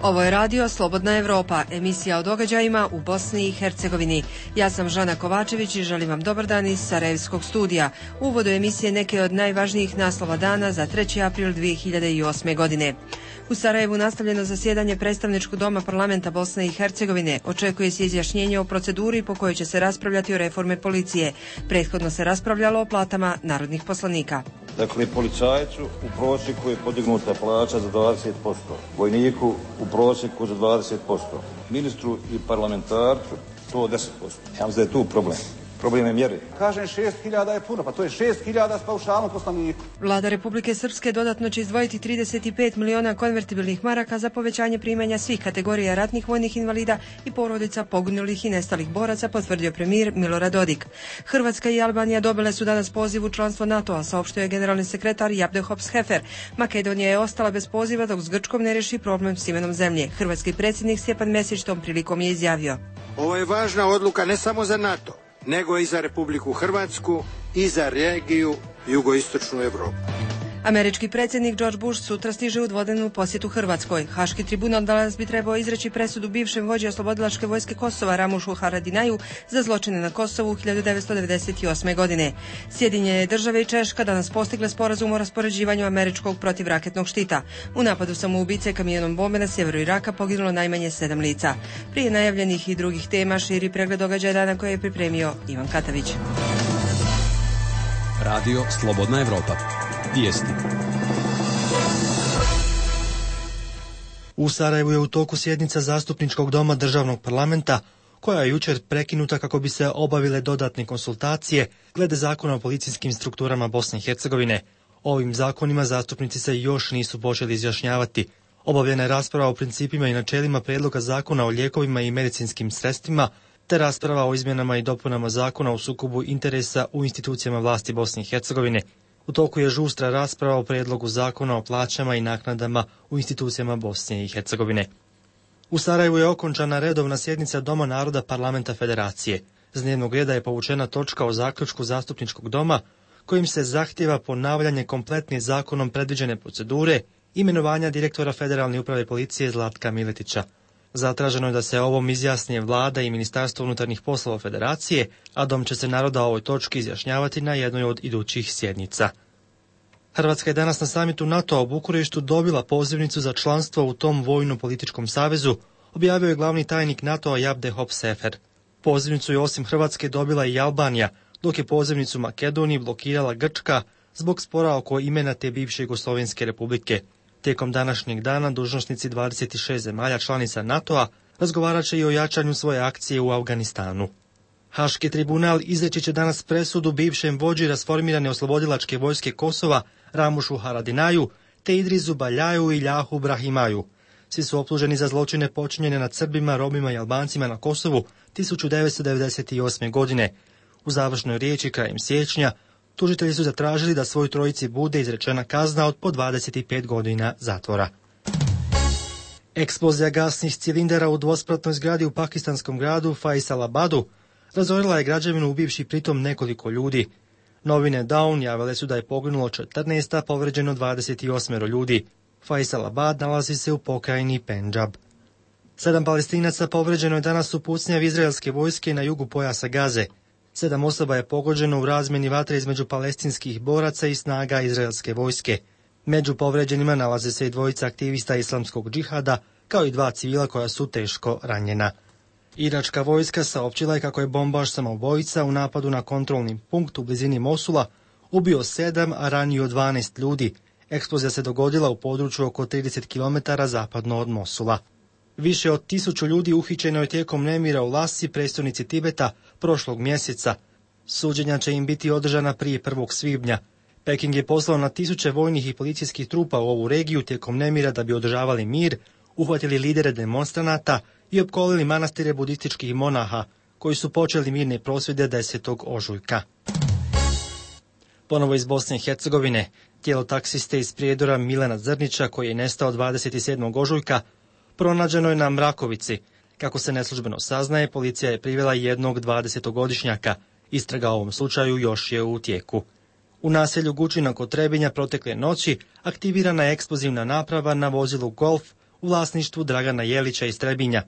Ovo je radio Slobodna Evropa, emisija o događajima u Bosni i Hercegovini. Ja sam Žana Kovačević i želim vam dobar dan iz Sarajevskog studija. U uvodu emisije neke od najvažnijih naslova dana za 3. april 2008. godine. U Sarajevu nastavljeno zasjedanje predstavničkog doma parlamenta Bosne i Hercegovine. Očekuje se izjašnjenje o proceduri po kojoj će se raspravljati o reforme policije. Prethodno se raspravljalo o platama narodnih poslanika. Dakle, policajcu u prosjeku je podignuta plaća za 20%, vojniku u prosjeku za 20%, ministru i parlamentarcu to 10%. Ja mislim da je tu problem. Problem je mjeri. Kažem 6.000 je puno, pa to je 6.000 s paušalom poslaniku. Vlada Republike Srpske dodatno će izdvojiti 35 miliona konvertibilnih maraka za povećanje primanja svih kategorija ratnih vojnih invalida i porodica poginulih i nestalih boraca, potvrdio premijer Milorad Dodik. Hrvatska i Albanija dobile su danas poziv u članstvo NATO-a, saopštio je generalni sekretar Jabdehop-Shefer. Makedonija je ostala bez poziva dok s Grčkom ne reši problem s imenom zemlje. Hrvatski predsjednik Stjepan Mesić tom prilikom je izjavio: Ovo je važna odluka ne samo za NATO, nego i za Republiku Hrvatsku i za regiju jugoistočnu Evropu. Američki predsjednik George Bush sutra stiže u dvodnevnu posjetu Hrvatskoj. Haški tribunal danas bi trebao izreći presudu bivšem vođi oslobodilačke vojske Kosova Ramušu Haradinaju za zločine na Kosovu 1998. godine. Sjedinjene države i Češka danas postigle sporazum o raspoređivanju američkog protivraketnog štita. U napadu samoubice kamionom bombe na sjeveru Iraka poginulo najmanje 7 lica. Prije najavljenih i drugih tema širi pregled događaja dana koje je pripremio Ivan Katavić. Radio Slobodna Evropa. Vijesti. U Sarajevu je u toku sjednica zastupničkog doma državnog parlamenta, koja je jučer prekinuta kako bi se obavile dodatne konsultacije glede zakona o policijskim strukturama Bosne i Hercegovine. Ovim zakonima zastupnici se još nisu počeli izjašnjavati. Obavljena je rasprava o principima i načelima prijedloga zakona o lijekovima i medicinskim sredstvima, te rasprava o izmjenama i dopunama zakona o sukobu interesa u institucijama vlasti Bosne i Hercegovine. U toku je žustra rasprava o prijedlogu zakona o plaćama i naknadama u institucijama Bosne i Hercegovine. U Sarajevu je okončana redovna sjednica Doma naroda Parlamenta Federacije. S dnevnog reda je povučena točka o zaključku zastupničkog doma kojim se zahtijeva ponavljanje kompletne zakonom predviđene procedure imenovanja direktora Federalne uprave policije Zlatka Miletića. Zatraženo je da se ovom izjasni Vlada i Ministarstvo unutarnjih poslova Federacije, a Dom će se naroda o ovoj točki izjašnjavati na jednoj od idućih sjednica. Hrvatska je danas na samitu NATO-a u Bukureštu dobila pozivnicu za članstvo u tom vojno-političkom savezu, objavio je glavni tajnik NATO-a Jabdehop-Shefer. Pozivnicu je osim Hrvatske dobila i Albanija, dok je pozivnicu Makedoniji blokirala Grčka zbog spora oko imena te bivše Jugoslovenske republike. Tijekom današnjeg dana dužnosnici 26 zemalja članica NATO-a razgovarat će i o jačanju svoje akcije u Afganistanu. Haški tribunal izreći će danas presudu bivšem vođi rasformirane oslobodilačke vojske Kosova Ramušu Haradinaju te Idrisu Baljaju i Ljahu Brahimaju. Svi su optuženi za zločine počinjene nad Srbima, Romima i Albancima na Kosovu 1998. godine. U završnoj riječi krajem siječnja tužitelji su zatražili da svoj trojici bude izrečena kazna od po 25 godina zatvora. Eksplozija gasnih cilindara u dvospratnoj zgradi u pakistanskom gradu Faisalabadu razorila je građevinu ubivši pritom nekoliko ljudi. Novine Dawn javile su da je poginulo 14, a povređeno 28 ljudi. Faisalabad nalazi se u pokrajini Pendžab. 7 Palestinaca povređeno je danas u pucnjavi izraelske vojske na jugu pojasa Gaze. 7 osoba je pogođeno u razmjeni vatre između palestinskih boraca i snaga izraelske vojske. Među povređenima nalaze se i dvojica aktivista islamskog džihada, kao i 2 civila koja su teško ranjena. Iračka vojska saopćila je kako je bombaš samoubojica u napadu na kontrolni punkt u blizini Mosula ubio 7, a ranio 12 ljudi. Eksplozija se dogodila u području oko 30 km zapadno od Mosula. Više od 1000 ljudi uhićeno je tijekom nemira u Lasi, prestonici Tibeta, prošlog mjeseca. Suđenja će im biti održana prije 1. svibnja. Peking je poslao na 1000 vojnih i policijskih trupa u ovu regiju tijekom nemira da bi održavali mir, uhvatili lidere demonstranata i opkolili manastire budističkih monaha, koji su počeli mirne prosvjede 10. ožujka. Ponovo iz Bosne i Hercegovine, tijelo taksiste iz Prijedora Milana Zrnića, koji je nestao 27. ožujka, pronađeno je na Mrakovici. Kako se neslužbeno saznaje, policija je privela jednog 20-godišnjaka. Istraga o ovom slučaju još je u tijeku. U naselju Gučina kod Trebinja protekle noći aktivirana je eksplozivna naprava na vozilu Golf u vlasništvu Dragana Jelića iz Trebinja.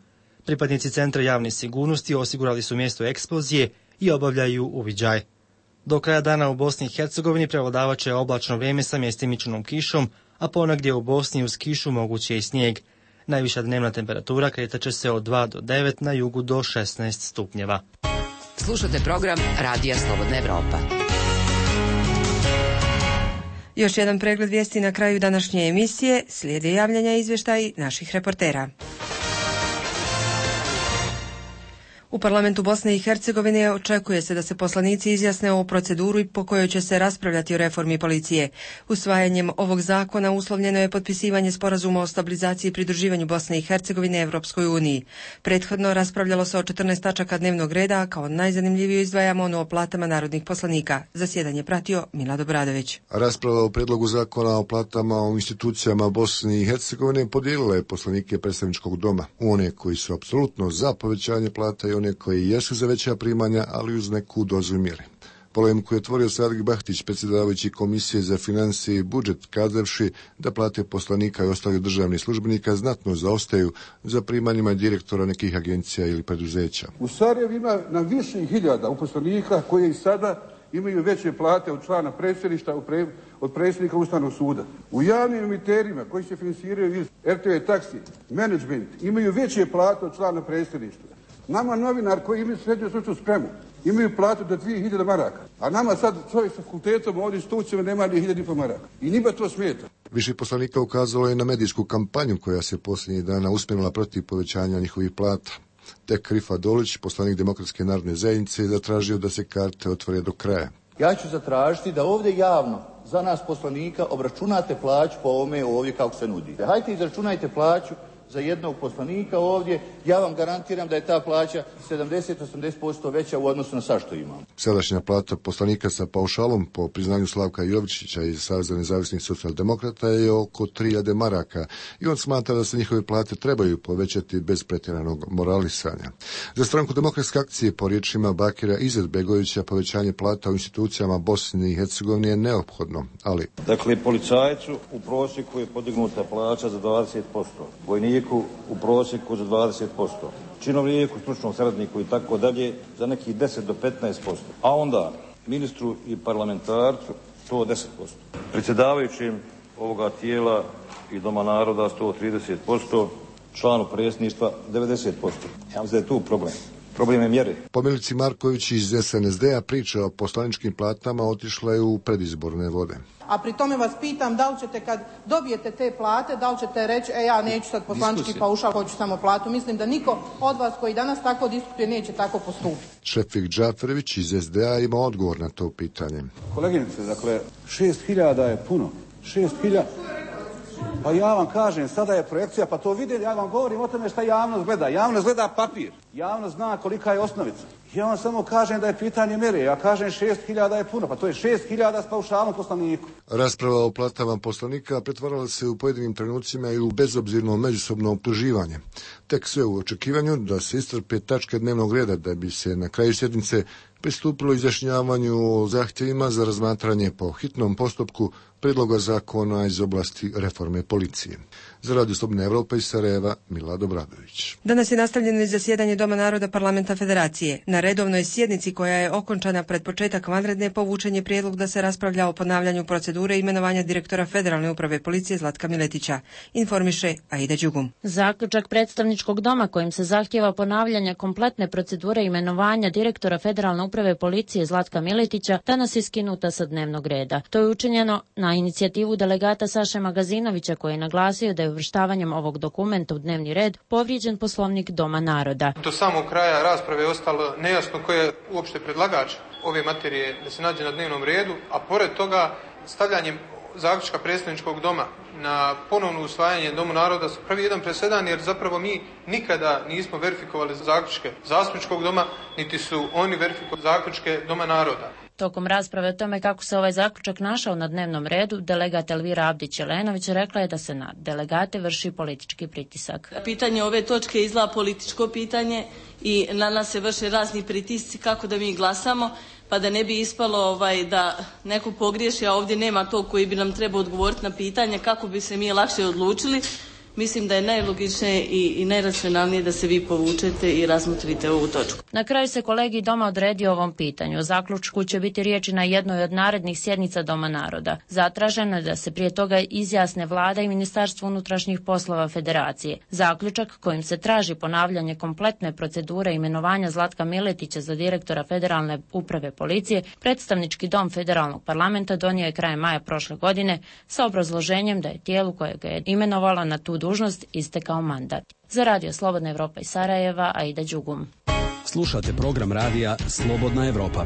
Pripadnici Centra javne sigurnosti osigurali su mjesto eksplozije i obavljaju uviđaj. Do kraja dana u Bosni i Hercegovini prevladavaće oblačno vrijeme sa mjestimičnom kišom, a ponegdje u Bosni uz kišu moguće i snijeg. Najviša dnevna temperatura kretaće se od 2 do 9, na jugu do 16 stupnjeva. Slušate program Radija Slobodna Evropa. Još jedan pregled vijesti na kraju današnje emisije. Slijede javljanja i izvještaji naših reportera. U parlamentu Bosne i Hercegovine očekuje se da se poslanici izjasne o proceduru po kojoj će se raspravljati o reformi policije. Usvajanjem ovog zakona uslovljeno je potpisivanje sporazuma o stabilizaciji i pridruživanju Bosne i Hercegovine Evropskoj uniji. Prethodno raspravljalo se o 14 tačaka dnevnog reda, a kao najzanimljiviju izdvajamo ono o platama narodnih poslanika. Zasjedanje pratio Milad Obradović. Rasprava o predlogu zakona o platama u institucijama Bosne i Hercegovine podijelila je poslanike predstavničkog doma. One koji su apsolutno za povećanje plata i one koji jesu za veća primanja, ali uz neku dozu mjere. Polemiku je otvorio Sadik Bahtić, predsjedavajući Komisije za financije i budžet, kazavši da plate poslanika i ostalih državnih službenika znatno zaostaju za primanjima direktora nekih agencija ili preduzeća. U Sarajevu ima na više hiljada uposlenika koji i sada imaju veće plate od člana predsjedništva od predsjednika Ustavnog suda. U javnim emiterima koji se finansiraju iz RTV taksi, menadžment, imaju veće plate od člana predsjedništva. Nama novinar koji imaju srednju stručnu spremu imaju platu do 2000 maraka, a nama sad čovjek sa fakultetom ovdje institucijama nema ni 1000 maraka. I njima to smeta. Više poslanika ukazalo je na medijsku kampanju koja se posljednjih dana usmjerila protiv povećanja njihovih plata. Tek Rifat Dolić, poslanik Demokratske narodne zajednice, je zatražio da se karte otvore do kraja. Ja ću zatražiti da ovdje javno za nas poslanika obračunate plaću po ovome ovdje kako se nudi. Hajte izračunajte plaću za jednog poslanika ovdje, ja vam garantiram da je ta plaća 70-80% veća u odnosu na sad što imamo. Sadašnja plata poslanika sa paušalom, po priznanju Slavka Jovičića iz Saveza nezavisnih socijaldemokrata, je oko 3000 maraka i on smatra da se njihove plate trebaju povećati bez pretjeranog moralisanja. Za stranku Demokratske akcije, po riječima Bakira Izetbegovića, povećanje plata u institucijama Bosne i Hercegovine je neophodno, ali... Dakle, policajcu u prosjeku je podignuta plaća za 20%, vojniku u prosjeku za 20%, činovniku, stručnom saradniku i tako dalje za nekih 10 do 15%, a onda ministru i parlamentarcu to 10%. Predsjedavajućim ovoga tijela i Doma naroda 130%, članu predsjedništva 90%. Ja mislim da je tu problem. Problem je mjere. Po Milici Marković iz SNSD-a priča o poslaničkim platama otišla je u predizborne vode. A pri tome vas pitam da li ćete kad dobijete te plate, da li ćete reći ja neću sad poslanički paušal, hoću samo platu. Mislim da niko od vas koji danas tako diskutuje neće tako postupiti. Šefik Džaferević iz SDA ima odgovor na to pitanje. Koleginice, dakle, 6000 je puno. 6000... Pa ja vam kažem, sada je projekcija, pa to vidim, ja vam govorim o tome šta javnost gleda. Javnost gleda papir, javnost zna kolika je osnovica. Ja vam samo kažem da je pitanje mjere, ja kažem 6000 je puno, pa to je 6000 s paušalom poslaniku. Rasprava o platama poslanika pretvarala se u pojedinim trenucima i u bezobzirno međusobno optuživanje. Tek sve u očekivanju da se iscrpe tačke dnevnog reda, da bi se na kraju sjednice pristupilo izjašnjavanju o zahtjevima za razmatranje po hitnom postupku predloga zakona iz oblasti reforme policije. Za Radio Slobodna Evropa iz Sarajeva, Milad Obradović. Danas je nastavljeno i zasjedanje Doma naroda Parlamenta Federacije. Na redovnoj sjednici koja je okončana pred početak vanredne povučen je prijedlog da se raspravlja o ponavljanju procedure imenovanja direktora Federalne uprave policije Zlatka Miletića. Informiše Aida Đugum. Zaključak predstavničkog doma kojim se zahtjeva ponavljanje kompletne procedure imenovanja direktora Federalne uprave policije Zlatka Miletića danas je skinuta sa dnevnog reda. To je učinjeno na inicijativu delegata Saše Magazinovića koji je naglasio da je uvrštavanjem ovog dokumenta u dnevni red povrijeđen Poslovnik Doma naroda. Do samog kraja rasprave je ostalo nejasno ko je uopšte predlagač ove materije da se nađe na dnevnom redu, a pored toga stavljanjem zaključka predstavničkog doma na ponovno usvajanje Domu naroda pravi jedan presedan, jer zapravo mi nikada nismo verifikovali zaključke zastupničkog doma, niti su oni verifikovali zaključke Doma naroda. Tokom rasprave o tome kako se ovaj zaključak našao na dnevnom redu, delegat Elvira Abdić-Jelenović rekla je da se na delegate vrši politički pritisak. Pitanje ove točke je izgleda političko pitanje i na nas se vrše razni pritisci kako da mi glasamo, pa da ne bi ispalo da neko pogriješi, a ovdje nema to koji bi nam trebao odgovoriti na pitanje kako bi se mi lakše odlučili. mislim da je najlogičnije i najracionalnije da se vi povučete i razmotrite ovu točku. Na kraju se kolegij Doma odredio ovom pitanju. O zaključku će biti riječi na jednoj od narednih sjednica Doma naroda. Zatraženo je da se prije toga izjasne Vlada i Ministarstvo unutrašnjih poslova Federacije. Zaključak kojim se traži ponavljanje kompletne procedure imenovanja Zlatka Miletića za direktora Federalne uprave policije, predstavnički dom Federalnog parlamenta donio je krajem maja prošle godine sa obrazloženjem da je tijelu koje ga je imenovalo na tu dužnost istekao mandat. Za Radio Slobodna Evropa iz Sarajeva, Aida Đugum. Slušate program radija Slobodna Evropa.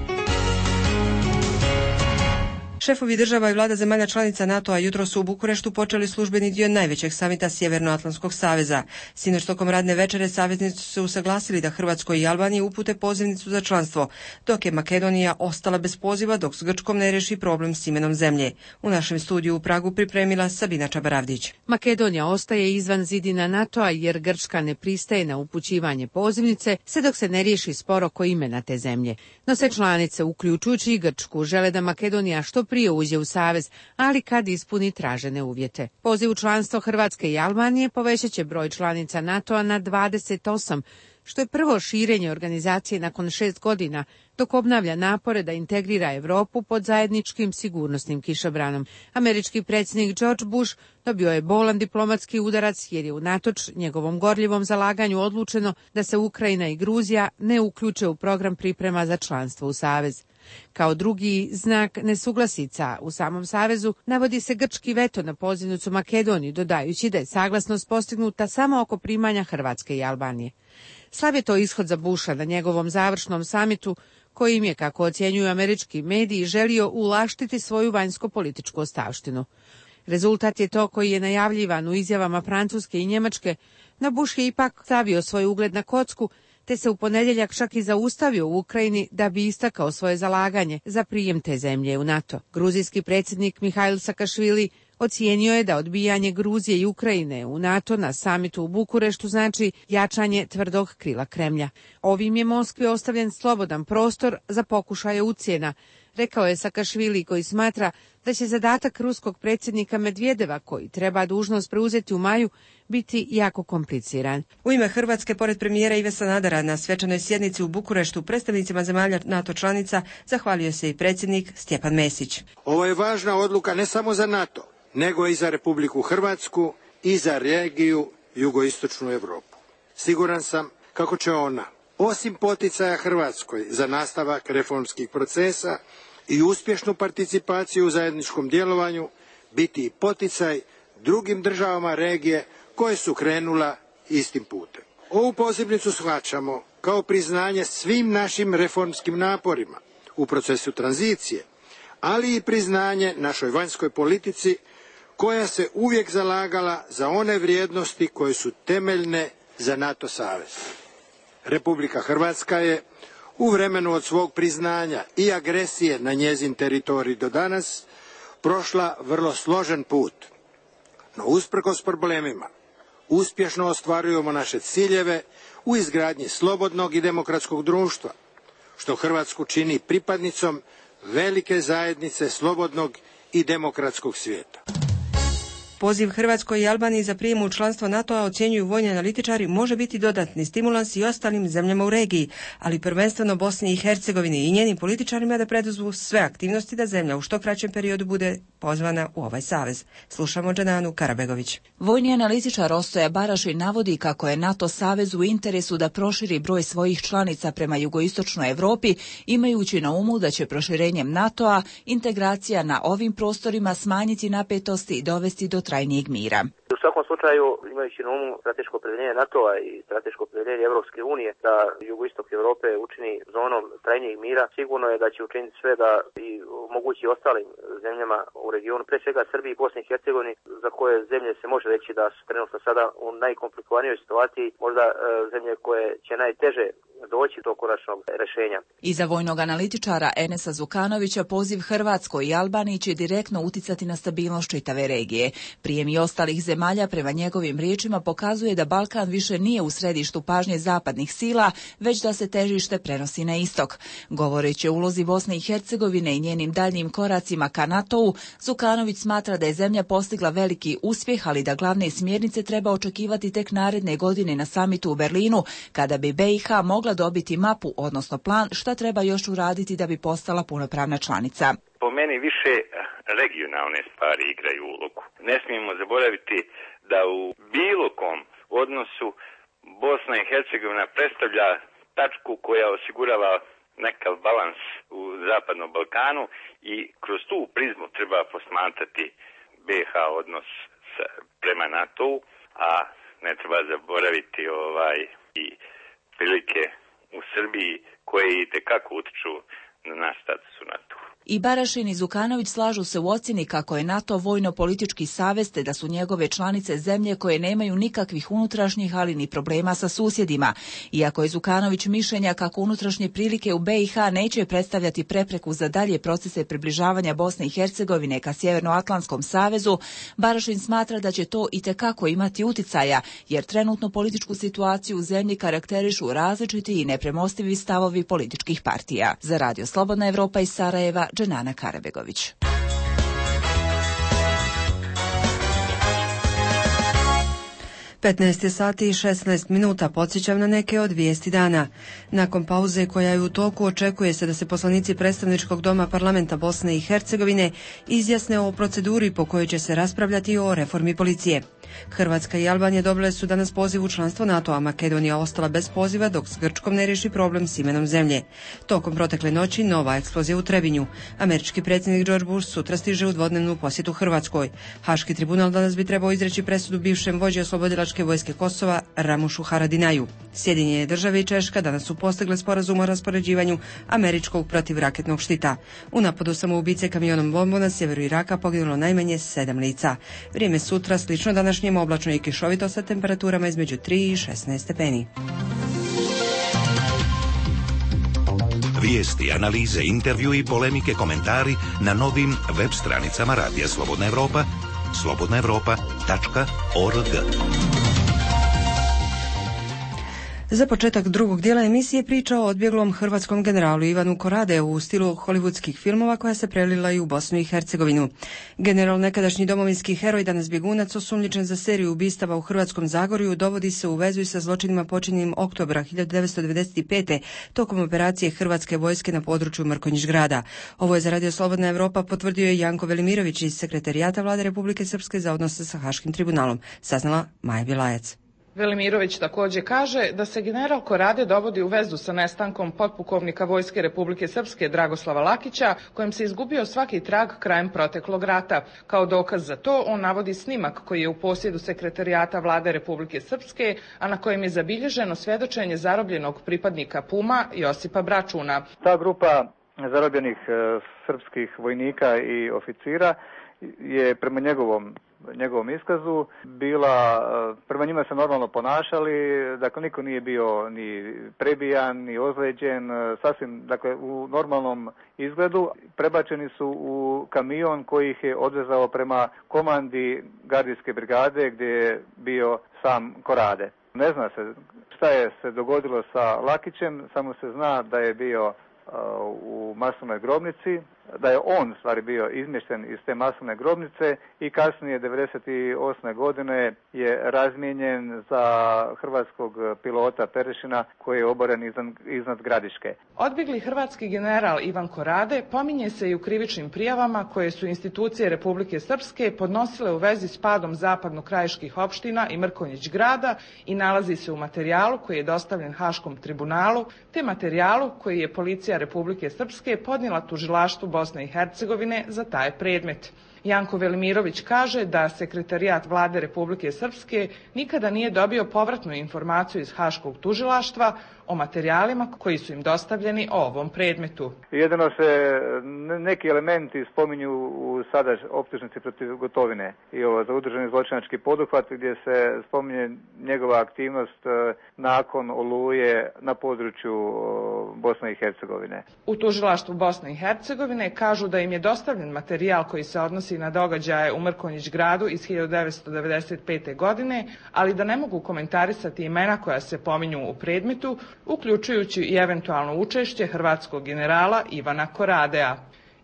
Šefovi država i vlada zemalja članica NATO-a jutros su u Bukureštu počeli službeni dio najvećeg samita Sjevernoatlantskog saveza. Sinoć tokom radne večere saveznici su se usaglasili da Hrvatskoj i Albaniji upute pozivnicu za članstvo, dok je Makedonija ostala bez poziva dok s Grčkom ne reši problem s imenom zemlje. U našem studiju u Pragu pripremila Sabina Čabaravdić. Makedonija ostaje izvan zidina NATO-a jer Grčka ne pristaje na upućivanje pozivnice sve dok se ne riješi spor oko imena te zemlje. No sve članice, uključujući i Grčku, žele da Makedonija što prije uđe u savez, ali kad ispuni tražene uvjete. Poziv u članstvo Hrvatske i Albanije povećat će broj članica NATO-a na 28, što je prvo širenje organizacije nakon 6 godina, dok obnavlja napore da integrira Europu pod zajedničkim sigurnosnim kišobranom. Američki predsjednik George Bush dobio je bolan diplomatski udarac jer je unatoč njegovom gorljivom zalaganju odlučeno da se Ukrajina i Gruzija ne uključe u program priprema za članstvo u savez. Kao drugi znak nesuglasica u samom savezu navodi se grčki veto na pozivnicu Makedoniji, dodajući da je saglasnost postignuta samo oko primanja Hrvatske i Albanije. Slav je to ishod za Busha na njegovom završnom samitu, kojim je, kako ocjenjuju američki mediji, želio ulaštiti svoju vanjsko-političku ostavštinu. Rezultat je to koji je najavljivan u izjavama Francuske i Njemačke, no Bush je ipak stavio svoj ugled na kocku, te se u ponedjeljak čak i zaustavio u Ukrajini da bi istakao svoje zalaganje za prijem te zemlje u NATO. Gruzijski predsjednik Mihail Sakašvili ocijenio je da odbijanje Gruzije i Ukrajine u NATO na samitu u Bukureštu znači jačanje tvrdog krila Kremlja. Ovim je Moskvi ostavljen slobodan prostor za pokušaje ucjena, rekao je Sakašvili, koji smatra da će zadatak ruskog predsjednika Medvedeva, koji treba dužnost preuzeti u maju, biti jako kompliciran. U ime Hrvatske, pored premijera Ive Sanadera, na svečanoj sjednici u Bukureštu predstavnicima zemalja NATO članica zahvalio se i predsjednik Stjepan Mesić. Ovo je važna odluka ne samo za NATO, nego i za Republiku Hrvatsku i za regiju jugoistočnu Europu. Siguran sam kako će ona, osim poticaja Hrvatskoj za nastavak reformskih procesa i uspješnu participaciju u zajedničkom djelovanju, biti i poticaj drugim državama regije koje su krenula istim putem. Ovu pozivnicu shvaćamo kao priznanje svim našim reformskim naporima u procesu tranzicije, ali i priznanje našoj vanjskoj politici koja se uvijek zalagala za one vrijednosti koje su temeljne za NATO savez. Republika Hrvatska je u vremenu od svog priznanja i agresije na njezin teritorij do danas prošla vrlo složen put. No usprkos problemima uspješno ostvarujemo naše ciljeve u izgradnji slobodnog i demokratskog društva, što Hrvatsku čini pripadnicom velike zajednice slobodnog i demokratskog svijeta. Poziv Hrvatskoj i Albaniji za prijem u članstvo NATO-a, ocjenjuju vojni analitičari, može biti dodatni stimulans i ostalim zemljama u regiji, ali prvenstveno Bosni i Hercegovini i njenim političarima da preduzmu sve aktivnosti da zemlja u što kraćem periodu bude pozvana u ovaj savez. Slušamo Džananu Karabegović. Vojni analitičar Ostoja Baraši navodi kako je NATO savez u interesu da proširi broj svojih članica prema jugoistočnoj Europi, imajući na umu da će proširenjem NATO-a integracija na ovim prostorima smanjiti napetosti i dovesti do trajnijeg mira. U svakom slučaju, imajući na umu strateško opredjeljenje NATO-a i strateško opredjeljenje Europske unije da jugoistok Europe učini zonom trajnijeg mira, sigurno je da će učiniti sve da i omogući ostalim zemljama u regionu, pre svega Srbiji i Bosni i Hercegovini, za koje zemlje se može reći da su trenutno sada u najkomplikovanijoj situaciji, možda zemlje koje će najteže doći do konačnog rješenja. Iza vojnog analitičara Enesa Zukanovića poziv Hrvatskoj i Albaniji će direktno uticati na stabilnost čitave regije. Prijem i ostalih zemalja prema njegovim riječima pokazuje da Balkan više nije u središtu pažnje zapadnih sila, već da se težište prenosi na istok. Govoreći o ulozi Bosne i Hercegovine i njenim daljnjim koracima ka NATO-u, Zukanović smatra da je zemlja postigla veliki uspjeh, ali da glavne smjernice treba očekivati tek naredne godine na samitu u Berlinu, kada bi BiH mogla dobiti mapu, odnosno plan šta treba još uraditi da bi postala punopravna članica. Po meni više regionalne stvari igraju ulogu. Ne smijemo zaboraviti da u bilo kom odnosu Bosna i Hercegovina predstavlja tačku koja osigurava nekav balans u Zapadnom Balkanu i kroz tu prizmu treba posmatrati BiH odnos prema NATO-u, a ne treba zaboraviti i prilike u Srbiji koje itekako utiču na naš status u NATO-u. I Barašin i Zukanović slažu se u ocjeni kako je NATO vojno-politički savez, te da su njegove članice zemlje koje nemaju nikakvih unutrašnjih, ali ni problema sa susjedima. Iako je Zukanović mišljenja kako unutrašnje prilike u BiH neće predstavljati prepreku za dalje procese približavanja Bosne i Hercegovine ka Sjevernoatlantskom savezu, Barašin smatra da će to itekako imati uticaja, jer trenutnu političku situaciju u zemlji karakterišu različiti i nepremostivi stavovi političkih partija. Za Radio Slobodna Evropa iz Sarajeva, Dženana Karabegović. Petnaest sati i 16 minuta, podsjećam na neke od vijesti dana. Nakon pauze koja je u toku, očekuje se da se poslanici predstavničkog doma parlamenta Bosne i Hercegovine izjasne o proceduri po kojoj će se raspravljati o reformi policije. Hrvatska i Albanija dobile su danas poziv u članstvo NATO-a, Makedonija ostala bez poziva dok s Grčkom ne riješi problem s imenom zemlje. Tokom protekle noći nova eksplozija u Trebinju. Američki predsjednik George Bush sutra stiže u dvodnevnu posjetu Hrvatskoj. Haški tribunal danas bi trebao izreći presudu bivšem vođi oslobodilačke vojske Kosova Ramušu Haradinaju. Sjedinjene države i Češka danas su postigle sporazum o raspoređivanju američkog protivraketnog štita. U napadu samoubice kamionom bombu na sjeveru Iraka poginulo najmanje 7 lica. Vrijeme sutra slično današnjem, oblačno i kišovito sa temperaturama između 3 i 16 stepeni. Vijesti, analize, intervju i polemike, komentari na novim web stranicama Radija Slobodna Evropa, slobodnaevropa.org. Za početak drugog dijela emisije priča o odbjeglom hrvatskom generalu Ivanu Korade u stilu hollywoodskih filmova koja se prelila i u Bosnu i Hercegovinu. General, nekadašnji domovinski heroj, danas bjegunac, osumnjičen za seriju ubistava u Hrvatskom Zagorju, dovodi se u vezu sa zločinima počinjenim oktobra 1995. tokom operacije Hrvatske vojske na području Mrkonjić grada. Ovo je za Radio Slobodna Evropa potvrdio je Janko Velimirović iz Sekretarijata Vlade Republike Srpske za odnose sa Haškim tribunalom, saznala Maja Bilajac. Velimirović također kaže da se general Korade dovodi u vezu sa nestankom potpukovnika Vojske Republike Srpske Dragoslava Lakića, kojem se izgubio svaki trag krajem proteklog rata. Kao dokaz za to on navodi snimak koji je u posjedu Sekretarijata Vlade Republike Srpske, a na kojem je zabilježeno svjedočenje zarobljenog pripadnika Puma Josipa Bračuna. Ta grupa zarobljenih srpskih vojnika i oficira je prema njegovom iskazu bila, prema njima se normalno ponašali, dakle niko nije bio ni prebijan, ni ozlijeđen, sasvim, dakle u normalnom izgledu. Prebačeni su u kamion koji ih je odvezao prema komandi gardijske brigade gdje je bio sam Korade. Ne zna se šta je se dogodilo sa Lakićem, samo se zna da je bio u masovnoj grobnici, da je on stvari bio izmješten iz te masovne grobnice i kasnije 1998. godine je razmijenjen za hrvatskog pilota Perešina koji je oboren iznad Gradiške. Odbjegli hrvatski general Ivan Korade pominje se i u krivičnim prijavama koje su institucije Republike Srpske podnosile u vezi s padom zapadno-krajiških opština i Mrkonjić grada i nalazi se u materijalu koji je dostavljen Haškom tribunalu, te materijalu koji je policija Republike Srpske podnijela tužilaštvu Bosne i Hercegovine za taj predmet. Janko Velimirović kaže da sekretarijat vlade Republike Srpske nikada nije dobio povratnu informaciju iz Haškog tužilaštva o materijalima koji su im dostavljeni o ovom predmetu. Jedino se neki elementi spominju u sada optužnici protiv Gotovine i ovo za udruženi zločinački poduhvat gdje se spominje njegova aktivnost nakon Oluje na području Bosne i Hercegovine. U tužilaštvu Bosne i Hercegovine kažu da im je dostavljen materijal koji se odnosi na događaje u Mrkonjić gradu iz 1995. godine, ali da ne mogu komentarisati imena koja se pominju u predmetu, uključujući i eventualno učešće hrvatskog generala Ivana Koradea.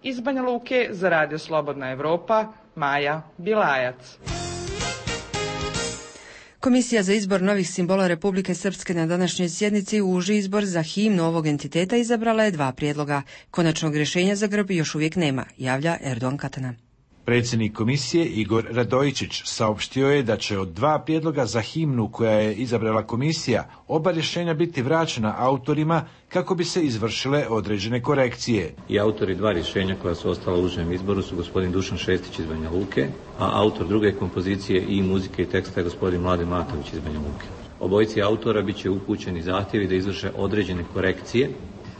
Iz Banja Luke za Radio Slobodna Evropa, Maja Bilajac. Komisija za izbor novih simbola Republike Srpske na današnjoj sjednici uži izbor za himnu ovog entiteta izabrala je 2 prijedloga. Konačnog rješenja za grb još uvijek nema, javlja Erdogan Katana. Predsjednik komisije Igor Radojičić saopštio je da će od 2 prijedloga za himnu koja je izabrala komisija oba rješenja biti vraćena autorima kako bi se izvršile određene korekcije. I autori 2 rješenja koja su ostala u užem izboru su gospodin Dušan Šestić iz Banja Luke, a autor druge kompozicije i muzike i teksta je gospodin Mladen Matović iz Banja Luke. Obojici autora bit će upućeni zahtjevi da izvrše određene korekcije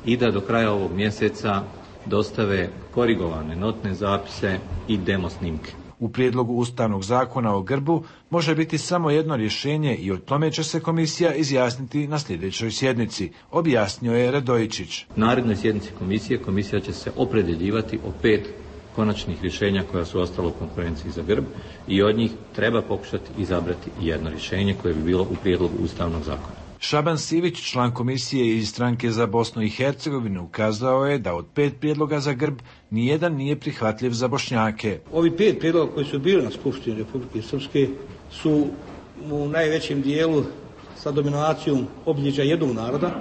i da do kraja ovog mjeseca dostave korigovane notne zapise i demo snimke. U prijedlogu Ustavnog zakona o grbu može biti samo jedno rješenje i o tome će se komisija izjasniti na sljedećoj sjednici, objasnio je Radojičić. Na narednoj sjednici komisija će se opredjeljivati o 5 konačnih rješenja koja su ostala u konkurenciji za grb i od njih treba pokušati izabrati jedno rješenje koje bi bilo u prijedlogu Ustavnog zakona. Šaban Sivić, član komisije iz stranke za Bosnu i Hercegovinu, ukazao je da od 5 prijedloga za grb nijedan nije prihvatljiv za Bošnjake. Ovi 5 prijedloga koji su bili na Skupštini Republike Srpske su u najvećem dijelu sa dominacijom obilježja jednog naroda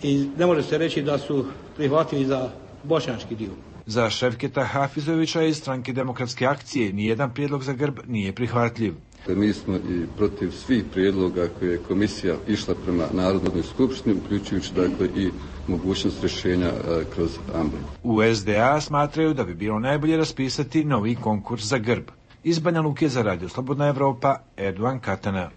i ne može se reći da su prihvatljivi za bošnjački dio. Za Ševketa Hafizovića iz stranke Demokratske akcije nijedan prijedlog za grb nije prihvatljiv. Mi smo i protiv svih prijedloga koje je komisija išla prema Narodnoj skupštini, uključujući dakle i mogućnost rješenja kroz ambulans. U SDA smatraju da bi bilo najbolje raspisati novi konkurs za grb. Iz Banja Luke za Radio Slobodna Evropa, Erdogan Katana.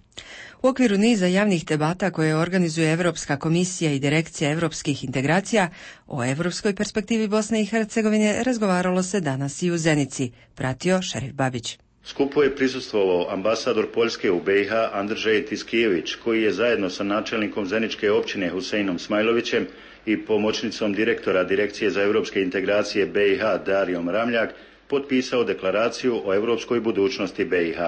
U okviru niza javnih debata koje organizuje Europska komisija i Direkcija europskih integracija, o europskoj perspektivi Bosne i Hercegovine razgovaralo se danas i u Zenici, pratio Šerif Babić. Skupu je prisustvovao ambasador Poljske u BiH Andržej Tiskijević, koji je zajedno sa načelnikom Zeničke općine Huseinom Smajlovićem i pomoćnicom direktora Direkcije za europske integracije BiH Darijom Ramljak potpisao deklaraciju o europskoj budućnosti BiH.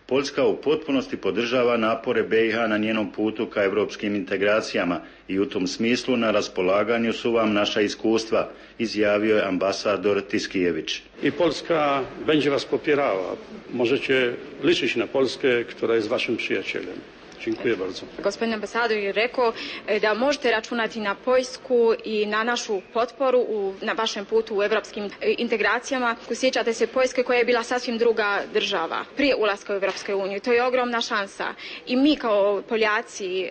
Poljska u potpunosti podržava napore BiH na njenom putu ka europskim integracijama i u tom smislu na raspolaganju su vam naša iskustva, izjavio je ambasador Tiskijević. I Polska będzie was popierała. Możecie liczyć na Polskę, która jest waszym przyjacielem. Dziękuję bardzo. Gospodin ambasador je rekao da možete računati na Poljsku i na našu potporu na vašem putu u evropskim integracijama. Sjećate se Poljske koja je bila sasvim druga država prije ulaska u Evropsku uniju. To je ogromna šansa. I mi kao Poljaci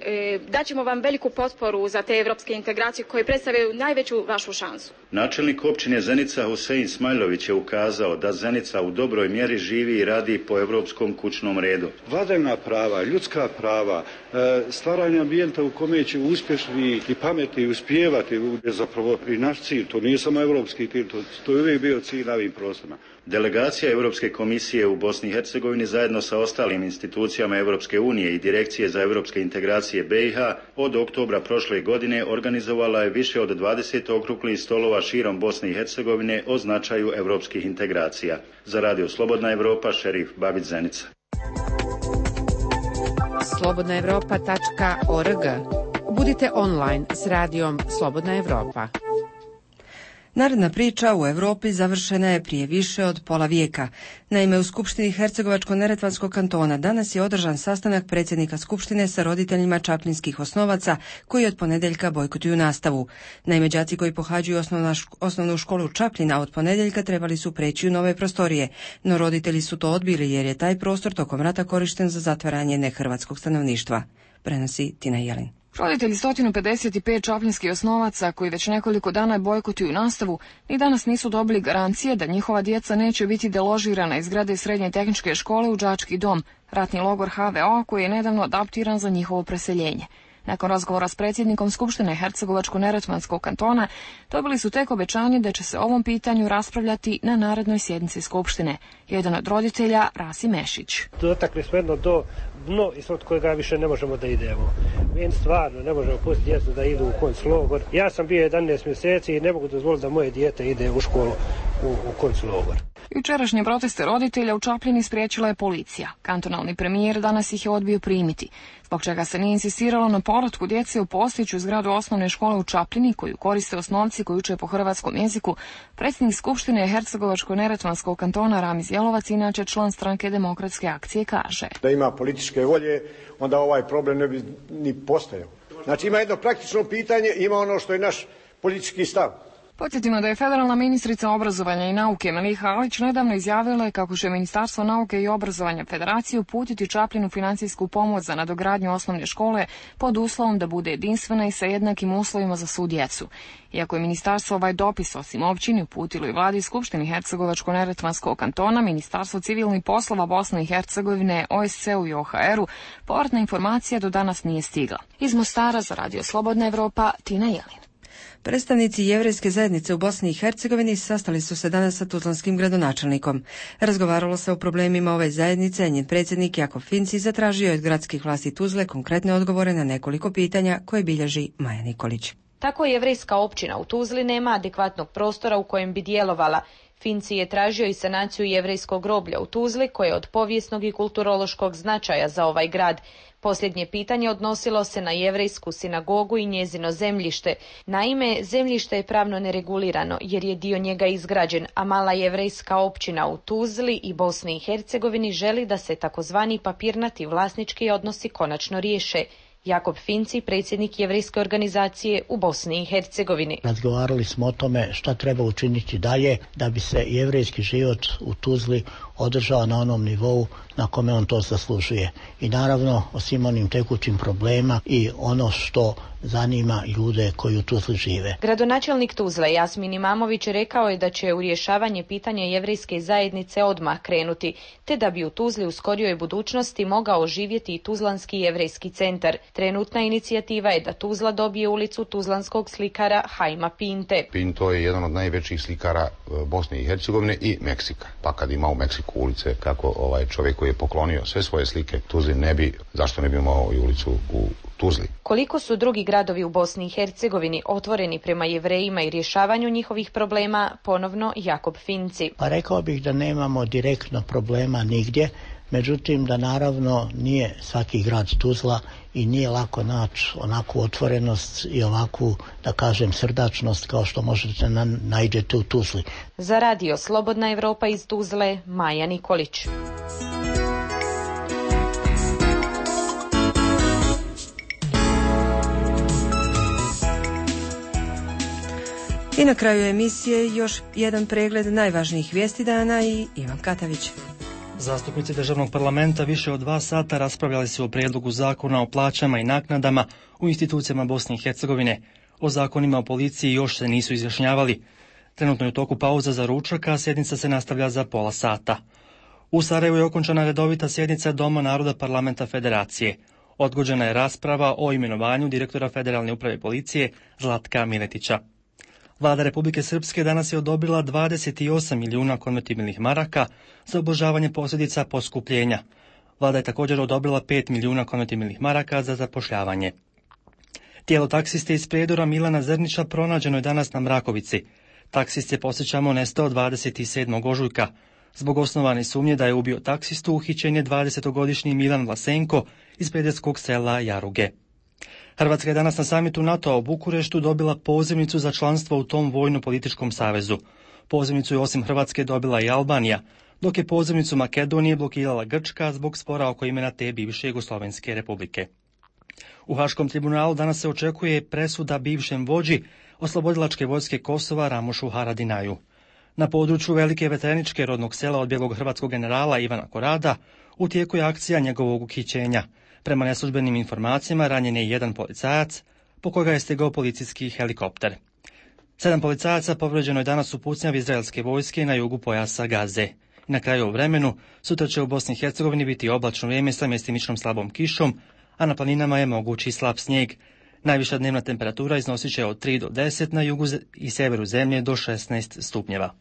daćemo vam veliku potporu za te evropske integracije koje predstavljaju najveću vašu šansu. Načelnik općine Zenica Husein Smajlović je ukazao da Zenica u dobroj mjeri živi i radi po europskom kućnom redu. Vladavina prava, ljudska prava, stvaranje ambijenta u kome će uspješni i pametni uspijevati je zapravo i naš cilj. To nije samo europski cilj, to je uvijek bio cilj na ovim prostorima. Delegacija Europske komisije u Bosni i Hercegovini zajedno sa ostalim institucijama Europske unije i Direkcije za europske integracije BiH od oktobra prošle godine organizovala je više od 20 okruglih stolova širom Bosne i Hercegovine o značaju europskih integracija. Za Radio Slobodna Evropa, Šerif Babić, Zenica. slobodnaevropa.org. Budite online s radijom Slobodna Evropa. Narodna priča u Europi završena je prije više od pola vijeka. Naime, u Skupštini Hercegovačko-neretvanskog kantona danas je održan sastanak predsjednika Skupštine sa roditeljima čaplinskih osnovaca koji od ponedjeljka bojkotuju nastavu. Naime, đaci koji pohađaju osnovnu školu Čapljina od ponedjeljka trebali su preći u nove prostorije, no roditelji su to odbili jer je taj prostor tokom rata korišten za zatvaranje nehrvatskog stanovništva. Prenosi Tina Jelin. Roditelji 155 čapljinskih osnovaca koji već nekoliko dana bojkotuju nastavu ni danas nisu dobili garancije da njihova djeca neće biti deložirana iz zgrade Srednje tehničke škole u đački dom, ratni logor HVO koji je nedavno adaptiran za njihovo preseljenje. Nakon razgovora s predsjednikom Skupštine Hercegovačko-Neretvanskog kantona, dobili su tek obećanje da će se o ovom pitanju raspravljati na narednoj sjednici Skupštine. Jedan od roditelja, Rasim Mešić. Dotakli smo jedno dno ispod kojega više ne možemo da idemo. Mi stvarno ne možemo pustiti djecu da idu u konclogor. Ja sam bio 11 mjeseci i ne mogu dozvoliti da moje dijete ide u školu u konclogor. Jučerašnje proteste roditelja u Čapljini spriječila je policija. Kantonalni premijer danas ih je odbio primiti, zbog čega se nije insistiralo na povratku djece u postojeću zgradu osnovne škole u Čapljini, koju koriste osnovci koji uče po hrvatskom jeziku. Predsjednik Skupštine Hercegovačko-Neretvanskog kantona Ramiz Jelovac, inače član stranke Demokratske akcije, kaže: Da ima političke volje, onda ovaj problem ne bi ni postojao. Znači ima jedno praktično pitanje, ima ono što je naš politički stav. Podsjetimo da je federalna ministrica obrazovanja i nauke Meliha Alić nedavno izjavila kako će Ministarstvo nauke i obrazovanja Federacije uputiti Čapljinu financijsku pomoć za nadogradnju osnovne škole pod uslovom da bude jedinstvena i sa jednakim uslovima za svu djecu. Iako je ministarstvo ovaj dopis osim općini uputilo i vladi Skupštini Hercegovačko-Neretvanskog kantona, Ministarstvo civilnih poslova Bosne i Hercegovine, OSCE-u i OHR-u, povratna informacija do danas nije stigla. Iz Mostara za Radio Slobodna Evropa, Tina Jelin. Predstavnici jevrejske zajednice u Bosni i Hercegovini sastali su se danas sa tuzlanskim gradonačelnikom. Razgovaralo se o problemima ove zajednice, a njen predsjednik Jakov Finci zatražio od gradskih vlasti Tuzle konkretne odgovore na nekoliko pitanja koje bilježi Maja Nikolić. Tako jevrejska općina u Tuzli nema adekvatnog prostora u kojem bi djelovala. Finci je tražio i sanaciju jevrejskog groblja u Tuzli, koje je od povijesnog i kulturološkog značaja za ovaj grad. Posljednje pitanje odnosilo se na jevrejsku sinagogu i njezino zemljište. Naime, zemljište je pravno neregulirano jer je dio njega izgrađen, a mala jevrejska općina u Tuzli i Bosni i Hercegovini želi da se takozvani papirnati vlasnički odnosi konačno riješe. Jakob Finci, predsjednik jevrejske organizacije u Bosni i Hercegovini. Razgovarali smo o tome šta treba učiniti dalje da bi se jevrejski život u Tuzli održao na onom nivou na kome on to zaslužuje. I naravno o svim onim tekućim problema i ono što zanima ljude koji u Tuzli žive. Gradonačelnik Tuzle Jasmin Imamović rekao je da će u rješavanje pitanja jevrejske zajednice odmah krenuti, te da bi u Tuzli u skorijoj budućnosti mogao živjeti i Tuzlanski jevrejski centar. Trenutna inicijativa je da Tuzla dobije ulicu tuzlanskog slikara Hajma Pinte. Pinto je jedan od najvećih slikara Bosne i Hercegovine i Meksika. Pa kad ima u Meksiku ulice, kako čovjek koji je poklonio sve svoje slike Tuzli zašto ne bi imao i ulicu u Tuzli. Koliko su drugi gradovi u Bosni i Hercegovini otvoreni prema jevrejima i rješavanju njihovih problema, ponovno Jakob Finci. Pa rekao bih da nemamo direktno problema nigdje, međutim da naravno nije svaki grad Tuzla i nije lako naći onakvu otvorenost i ovakvu, da kažem, srdačnost kao što možete nađete u Tuzli. Za Radio Slobodna Evropa iz Tuzle, Maja Nikolić. I na kraju emisije još jedan pregled najvažnijih vijesti dana i Ivan Katavić. Zastupnici državnog parlamenta više od 2 sata raspravljali su o prijedlogu zakona o plaćama i naknadama u institucijama Bosne i Hercegovine. O zakonima o policiji još se nisu izjašnjavali. Trenutno je u toku pauza za ručak, a sjednica se nastavlja za pola sata. U Sarajevu je okončana redovita sjednica Doma naroda parlamenta Federacije. Odgođena je rasprava o imenovanju direktora Federalne uprave policije Zlatka Miletića. Vlada Republike Srpske danas je odobrila 28 milijuna konvertibilnih maraka za ublažavanje posljedica poskupljenja. Vlada je također odobrila 5 milijuna konvertibilnih maraka za zapošljavanje. Tijelo taksiste iz Prijedora Milana Zrnića pronađeno je danas na Mrakovici. Taksist je, podsjećamo, nestao 27. ožujka. Zbog osnovane sumnje da je ubio taksistu, uhićen je 20-godišnji Milan Vlasenko iz prijedorskog sela Jaruge. Hrvatska je danas na samitu NATO-a u Bukureštu dobila pozivnicu za članstvo u tom vojno-političkom savezu. Pozivnicu je osim Hrvatske dobila i Albanija, dok je pozivnicu Makedonije blokirala Grčka zbog spora oko imena te bivše Jugoslovenske republike. U Haškom tribunalu danas se očekuje presuda bivšem vođi oslobodilačke vojske Kosova Ramušu Haradinaju. Na području Velike Veteraničke rodnog sela odbjeglog hrvatskog generala Ivana Korada u tijeku je akcija njegovog uhićenja. Prema neslužbenim informacijama ranjen je jedan policajac, po koga je stigao policijski helikopter. 7 policajaca povređeno je danas u pucnjavi izraelske vojske na jugu pojasa Gaze. I na kraju u vremenu, sutra će u Bosni i Hercegovini biti oblačno vrijeme sa mjestimičnom slabom kišom, a na planinama je mogući slab snijeg. Najviša dnevna temperatura iznosit će od 3 do 10, na jugu i severu zemlje do 16 stupnjeva.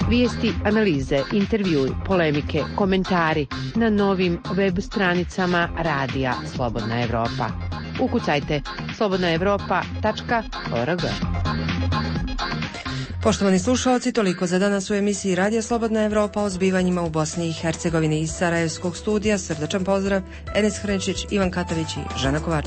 Vijesti, analize, intervjui, polemike, komentari na novim web stranicama Radija Slobodna Evropa. Ukucajte slobodnaevropa.org. Poštovani slušalci, toliko za danas u emisiji Radija Slobodna Evropa o zbivanjima u Bosni i Hercegovini. Iz Sarajevskog studija srdačan pozdrav, Enes Hrenčić, Ivan Katavić i Žana Kovač.